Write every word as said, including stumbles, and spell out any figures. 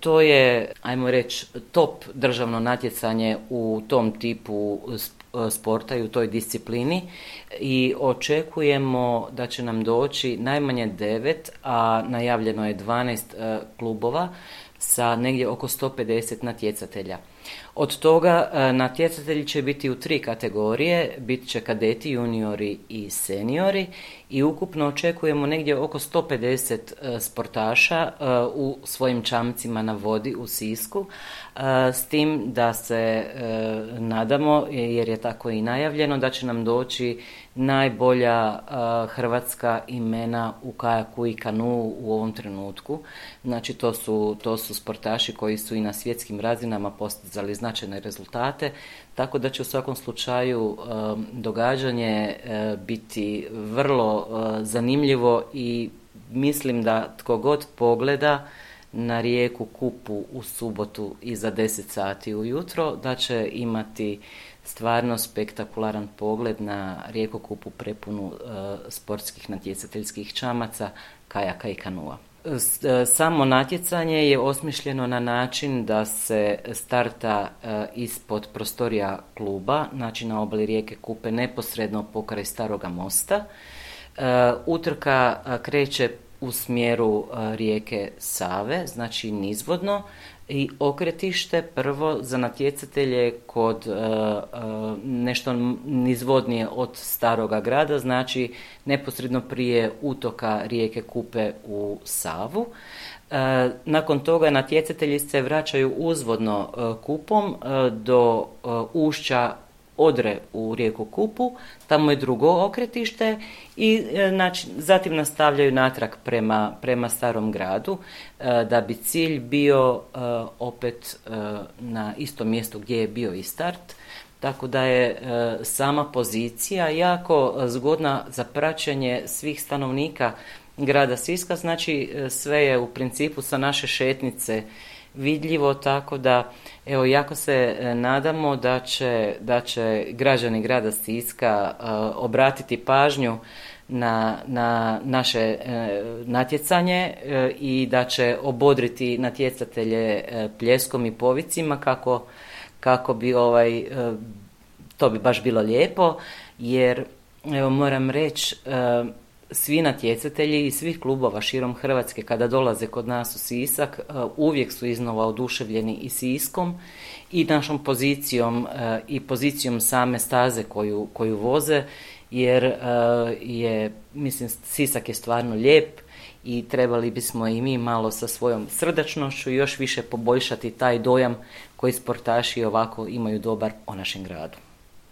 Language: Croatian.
To je, ajmo reći, top državno natjecanje u tom tipu sporta i u toj disciplini i očekujemo da će nam doći najmanje devet, a najavljeno je dvanaest klubova sa negdje oko sto pedeset natjecatelja. Od toga natjecatelji će biti u tri kategorije, bit će kadeti, juniori i seniori i ukupno očekujemo negdje oko sto pedeset sportaša u svojim čamcima na vodi u Sisku, s tim da se nadamo, jer je tako i najavljeno, da će nam doći najbolja hrvatska imena u kajaku i kanuu u ovom trenutku. Znači to su, to su sportaši koji su i na svjetskim razinama postizali značajne rezultate, tako da će u svakom slučaju događanje biti vrlo zanimljivo i mislim da tko god pogleda na rijeku Kupu u subotu iza deset sati ujutro, da će imati stvarno spektakularan pogled na rijeku Kupu prepunu sportskih natjecateljskih čamaca, kajaka i kanua. Samo natjecanje je osmišljeno na način da se starta ispod prostorija kluba, znači na obali rijeke Kupe, neposredno pokraj Staroga mosta. Utrka kreće u smjeru rijeke Save, znači nizvodno, i okretište prvo za natjecatelje kod uh, uh, nešto nizvodnije od Staroga grada, znači neposredno prije utoka rijeke Kupe u Savu. Uh, nakon toga natjecatelji se vraćaju uzvodno uh, Kupom uh, do uh, ušća Odre u rijeku Kupu, tamo je drugo okretište i znači, zatim nastavljaju natrag prema, prema Starom gradu, e, da bi cilj bio e, opet e, na istom mjestu gdje je bio i start, tako da je e, sama pozicija jako zgodna za praćenje svih stanovnika grada Siska, znači sve je u principu sa naše šetnice vidljivo, tako da evo jako se nadamo da će, da će građani grada Siska uh, obratiti pažnju na, na naše uh, natjecanje uh, i da će obodriti natjecatelje uh, pljeskom i povicima kako, kako bi ovaj, uh, to bi baš bilo lijepo, jer evo moram reći uh, svi natjecatelji iz svih klubova širom Hrvatske kada dolaze kod nas u Sisak uvijek su iznova oduševljeni i Siskom i našom pozicijom i pozicijom same staze koju, koju voze, jer je, mislim, Sisak je stvarno lijep i trebali bismo i mi malo sa svojom srdačnošću još više poboljšati taj dojam koji sportaši ovako imaju dobar o našem gradu.